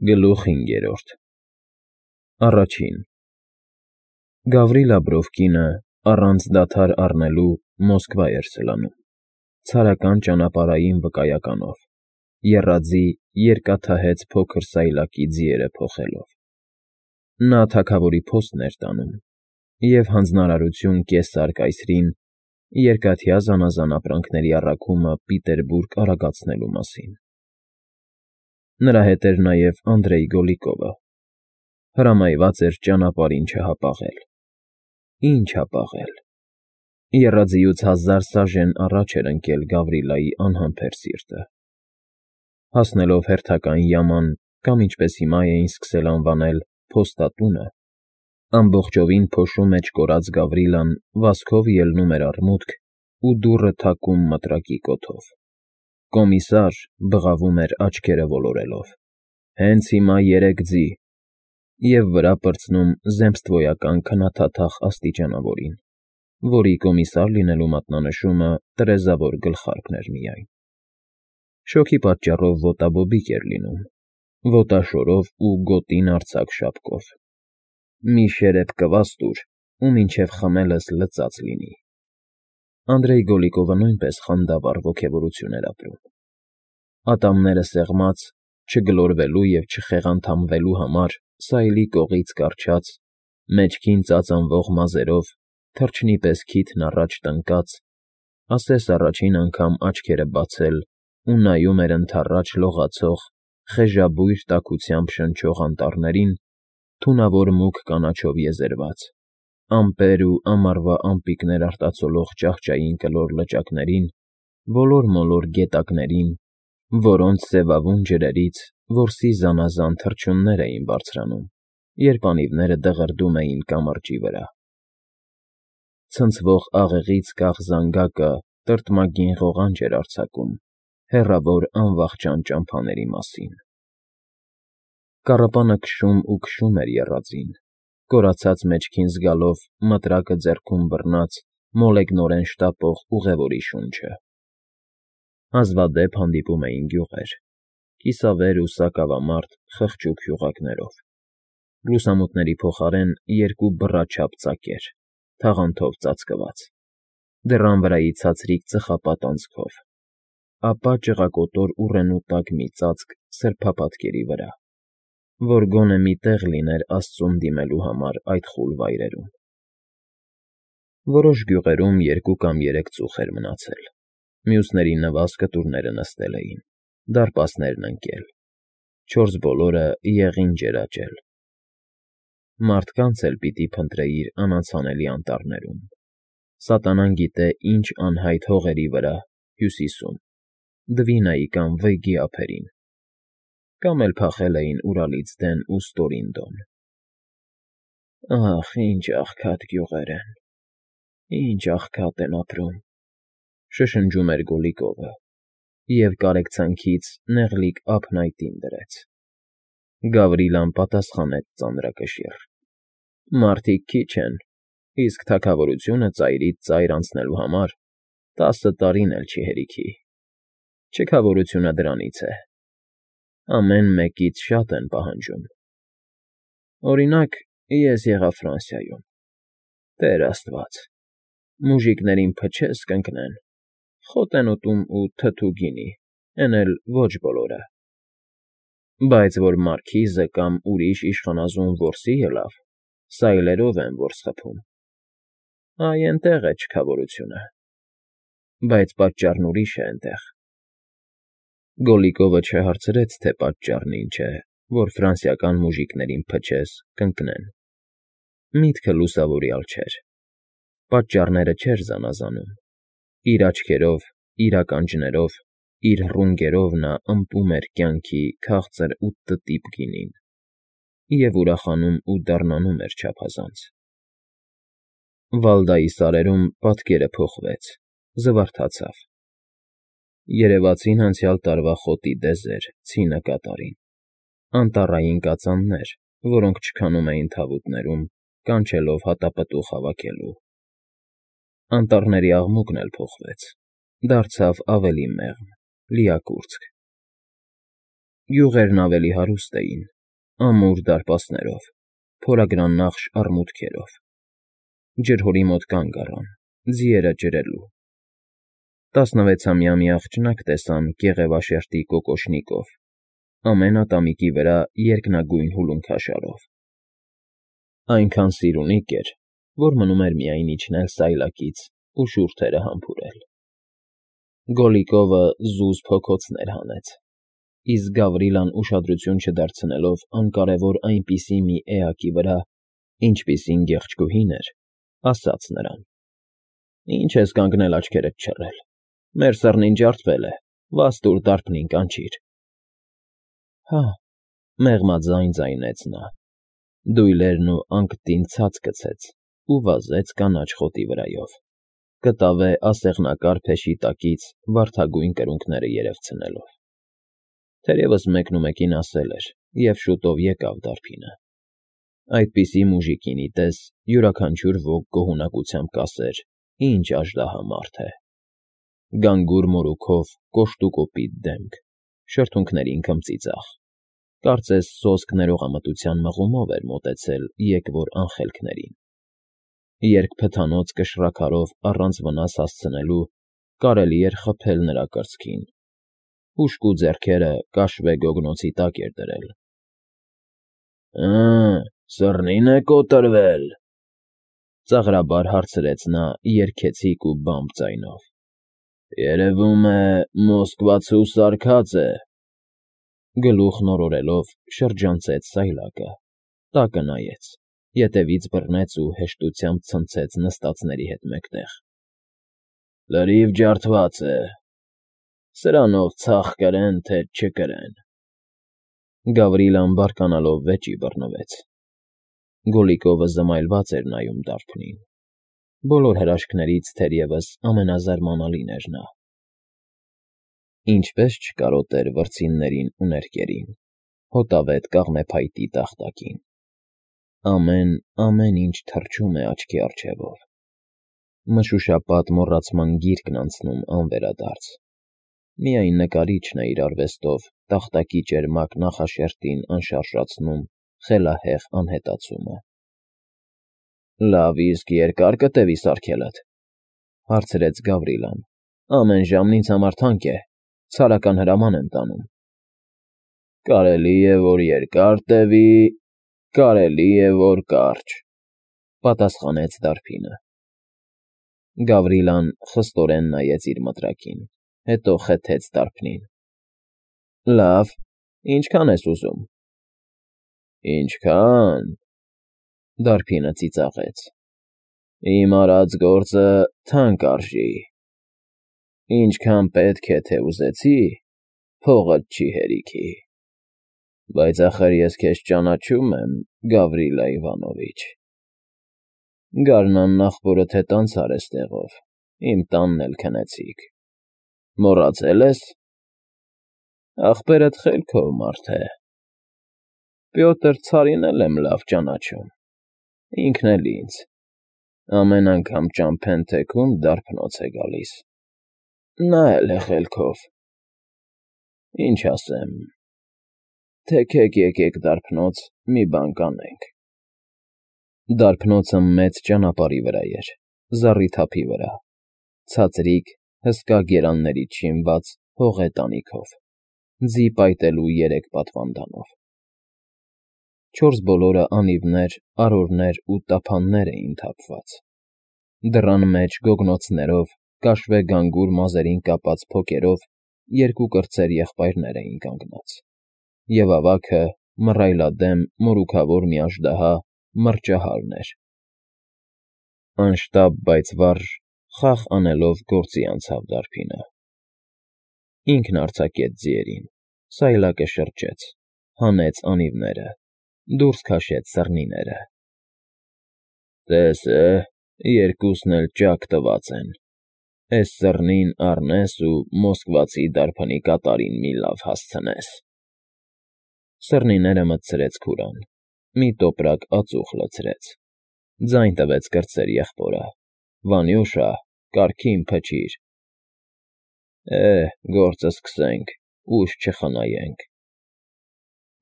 Գլուխ 5 Առաջին Գավրիլ Աբրովկինը առանց դադար առնելու Մոսկվա էր սլանում, ցարական ճանապարհային վկայականով, եռաձի երկաթահեծ փոքր սայլակի ձիերը փոխելով։ Նա թագավորի փոստն էր տանում և հանձնարարություն կեսար կայսրին երկաթյա զանազան ապրանքների առաքումը Պիտերբուրգ արագացնելու մասին։ Նրա հետ էր նաև Անդրեյ Գոլիկովը, հրամայված էր ճանապարհին չհապաղել։ Ինչ հապաղել։ Եռաձիուց 1000 սաժեն առաջ էր ընկել Գավրիլայի անհամբեր սիրտը։ Հասնելով հերթական յաման կամ ինչպես հիմա էին սկսել անվանել փոստատունը, ամբողջովին փոշու մեջ կորած Գավրիլան վազքով ելնում էր առմուտք ու դուռը թակում մտրակի կոթով։ Կոմիսար բղավում էր աչքերը ոլորելով. «Հենց հիմա 3 ձի» և վրա պրծնում զեմստվոյական քննադատախ աստիճանավորին, որի կոմիսար լինելու մատնանշումը տրեզավոր գլխարկն էր միայն։ Շոգի պատճառով ոտաբոբիկ էր լինում, ոտաշորով ու գոտին արձակ շապկով։ «Մի շերեփ կվաստ ուր, ու մինչև խմելս լծած լինի»։ Անդրեյ Գոլիկովը նույնպես խանդավառ ոգևորություն էր ապրում։ Ատամները սեղմած, չգլորվելու և չխեղանդամվելու համար սայլի կողից կառչած, մեջքին ծածանվող մազերով, թռչնի պես քիթն առաջ տնկած, ասես առաջին անգամ աչքերը բացել ու նայում էր ընդառաջ լողացող, խեժաբույր տաքությամբ շնչող անտառներին, թունավոր մուգ կանաչով եզերված, ամպեր ու ամառվա ամպիկներ արտացոլող ճահճային կլոր լճակներին, ոլոր֊մոլոր գետակներին, որոնց սևավուն ջրերից որսի զանազան թռչուններ էին բարձրանում, երբ անիվները դղրդում էին կամրջի վրա։ Ցնցվող աղեղից կախ զանգակը տրտմագին ղողանջ էր արձակում հեռավոր անվախճան ճամփաների մասին։ Կառապանը քշում ու քշում էր եռաձին, կորացած մեջքին զգալով մտրակը ձեռքում բռնած մոլեգնորեն շտապող ուղևորի շունչը։ Հազվադեպ հանդիպում էին գյուղեր, կիսավեր ու սակավամարդ խղճուկ յուղակներով, լուսամուտների փոխարեն երկու բռաչափ ծակեր, թաղանթով ծածկված, դռան վրայի ցածրիկ ծխապատ անցքով, ապա ճղակոտոր ուռենու տակ մի ծածկ սրբապատկերի վրա, որ գոնե մի տեղ լիներ աստծուն դիմելու համար այդ խուլ վայրերում։ Որոշ գյուղերում 2 կամ 3 ծուխ էր մնացել, մյուսների նվազ կտուրները նստել էին, դարպասներն ընկել, 4 բոլորը եղին ջերաճել։ Մարդկանց էլ պիտի փնտրեիր անանցանելի անտառներում, սատանան գիտե ինչ անհայտ հողերի վրա, հյուսիսում, Դվինայի կամ Վեյգի ափերին, կամ էլ փախել էին Ուրալից դեն ու ստորին Դոն։ «Ախ, ինչ աղքատ գյուղեր են, ինչ աղքատ են ապրում», շշնջում էր Գոլիկովը և կարեկցանքից նեղլիկ ափն այտին դրեց։ Գավրիլան պատասխանեց ծանրակշիռ. «Մարդիկ քիչ են, իսկ թագավորությունը ծայրից ծայր անցնելու համար 10 տարին էլ չի հերիքի։ Չքավորությունը դրանից է. ամեն մեկից շատ են պահանջում։ Օրինակ, ես եղա Ֆրանսիայում, Տեր Աստված, մուժիկներին փչես կընկնեն, խոտ են ուտում ու թթու գինի, էն էլ ոչ բոլորը։ Բայց որ մարքիզը կամ ուրիշ իշխանազուն որսի ելավ, սայլերով են որս խփում։ Այ էնտեղ է չքավորությունը։ Բայց պատճառն ուրիշ է էնտեղ»։ Գոլիկովը չհարցրեց, թե պատճառն ինչ է, որ ֆրանսիական մուժիկներին փչես կընկնեն։ Միտքը լուսավորյալ չէր։ Պատճառները չէր զանազանում։ Իր աչքերով, իր ականջներով, իր ռունգերով նա ըմպում էր կյանքի քաղցր ու տտիպ գինին և ուրախանում ու դառնանում էր չափազանց։ Վալդայի սարերում պատկերը փոխվեց, զվարթացավ։ Երևացին անցյալ տարվա խոտի դեզեր, ցինը կատարին, անտառային կածաններ, որոնք չքանում էին թավուտներում, կանչելով հատապտուղ հավաքելու։ Անտառների աղմուկն էլ փոխվեց, դարձավ ավելի մեղմ, լիակուրծք։ Յուղերն ավելի հարուստ էին, ամուր դարպասներով, փորագրանախշ առմուտքերով։ Ջրհորի մոտ կանգ առան, ձիերը ջրելու։ 16-ամյա մի աղջնակ տեսան կեղևաշերտի կոկոշնիկով, ամեն ատամիկի վրա երկնագույն հուլունքաշարով։ Այնքան սիրունիկ էր, որ մնում էր միայն իջնել սայլակից ու շուրթերը համբուրել։ Գոլլիկովը զուզ փոքոցներ հանեց, իսկ Գավրիլան ուշադրություն չդարձնելով անկարևոր այնպիսի մի էակի վրա, ինչպիսին գեղեցկուհին էր, ասաց նրան. «Ինչ ես կանգնել աչքերդ չռել, մեր սըրնին ջարդվել է, վաս տուր դարբնին կանչիր»։ Հա, մեղմաձայն ձայնեց նա, դույլերն ու անկտին ցած գցեց ու վազեց կանաչ խոտի վրայով, կտավե ասեղնակար փեշի տակից վարդագույն կրունկները երևցնելով։ Թերևս մեկնումեկին ասել էր, և շուտով եկավ դարբինը։ Այդպիսի մուժիկինի պես յուրաքանչյուր ոք գոհունակությամբ կասեր, ինչ աժդահամարդ է։ Գանգուր մորուքով, կոշտուկոպիտ դեմք, շրթունքներին քմծիծաղ, կարծես սոսկ ներողամտության մղումով էր մոտեցել եկվոր անխելքներին։ Երբ փթանոց կշռաքարով առանց վնաս հասցնելու կարելի էր խփել նրա կրծքին, հուժկու ձեռքերը կաշվե գոգնոցի տակ էր դրել։ Սըրնի՞ն է կոտրվել,֊ ծաղրաբար հարցրեց նա երգեցիկ ու բամբ ձայնով։ Երևում է, Մոսկվացու սարքած է։ Գլուխն օրորելով շրջանցեց սայլակը, տակը նայեց, ետևից բռնեց ու հեշտությամբ ցնցեց նստածների հետ մեկտեղ։ Լրիվ ջարդված է, սրանով ցախ կրեն, թե չկրեն։ Գավրիլան բարկանալով վեճի բռնվեց։ Գոլլիկովը զմայլված էր նայում դարբնին։ Բոլոր հրաշքներից թերևս ամենազարմանալին էր նա։ Ինչպես չկարոտեր վրձիններին ու ներկերին, հոտավետ կաղնեփայտի տախտակին։ Ամեն ինչ թռչում է աչքի առջևով։ Մշուշապատ մոռացման գիրկն անցնում անվերադարձ։ Միայն նկարիչն է իր արվեստով տախտակի ճերմակ նախաշերտին անշարժացնում խելահեղ անհետացումը։ Լավ, իսկ երկա՞ր կտևի սարքելդ,֊ հարցրեց Գավրիլան։ Ամեն ժամն ինձ համար թանկ է, ցարական հրաման եմ տանում։ Կարելի է, որ երկար տևի, կարելի է, որ կարճ,֊ պատասխանեց դարբինը։ Գավրիլան խստորեն նայեց իր մտրակին, հետո խեթեց դարբնին։ Լավ, ինչքան ես ուզում։ Ինչքան,֊ դարբինը ծիծաղեց։ Իմ արած գործը թանկ արժի։ Ինչքան պետք է, թե ուզեցի, փողդ չի հերիքի։ Բայց ախր ես քեզ ճանաչում եմ, Գավրիլա Իվանովիչ։ Գարնան նախորդ հետ անցար էստեղով, իմ տանն էլ քնեցիք։ Մոռացել ես։ Ախպերդ խելքով մարդ է։ Պյոտր Ցարին էլ եմ լավ ճանաչում, ինքն էլ ինձ։ Ամեն անգամ ճամփեն թեքում դարբնոց է գալիս։ Նա էլ է խելքով։ Ինչ ասեմ, թեքեք եկեք դարբնոց, մի բան կանենք։ Դարբնոցը մեծ ճանապարհի վրա էր, զառիթափի վրա, ցածրիկ, հսկա գերաններից շինված հողե տանիքով, ձի պայտելու 3 պատվանդանով։ 4 բոլորը անիվներ, արորներ ու տափաններ էին թափված։ Դռան մեջ գոգնոցներով, կաշվե գանգուր մազերին կապած փոկերով 2 կրտսեր եղբայրներ էին կանգնած, և ավագը, մռայլադեմ, մորուքավոր մի աժդահա մռճահարն էր։ Անշտապ, բայց վառ, խաղ անելով գործի անցավ դարբինը։ Ինքն արձակեց ձիերին, սայլակը շրջեց, հանեց անիվները, դուրս քաշեց սըրնիները։ Տես է, երկուսն էլ ճաք տված են։ Էս սըրնին առնես ու մոսկվացի դարբնի կատարին մի լավ հասցնես։ Սըրնիները մտցրեց քուրան, մի տոպրակ ածուխ լցրեց, ձայն տվեց կրտսեր եղբորը. Վանյուշա, կարգին փչիր։ Գործը սկսենք, ուժ չխնայենք։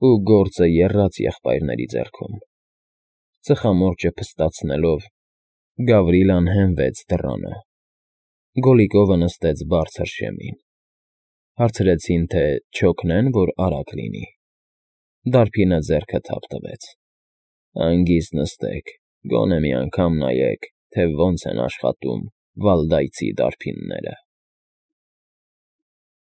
ու գործը եռաց եղբայրների ձեռքում։ Ծխամորճը փստացնելով, Գավրիլան հենվեց դռանը։ Գոլլիկովը նստեց բարձր շեմին։ Հարցրեցին, թե չօգնեն, որ արագ լինի։ Դարբինը ձեռքը թափ տվեց։ Հանգիստ նստեք, գոնե մի անգամ նայեք, թե ոնց են աշխատում վալդայցի դարբինները։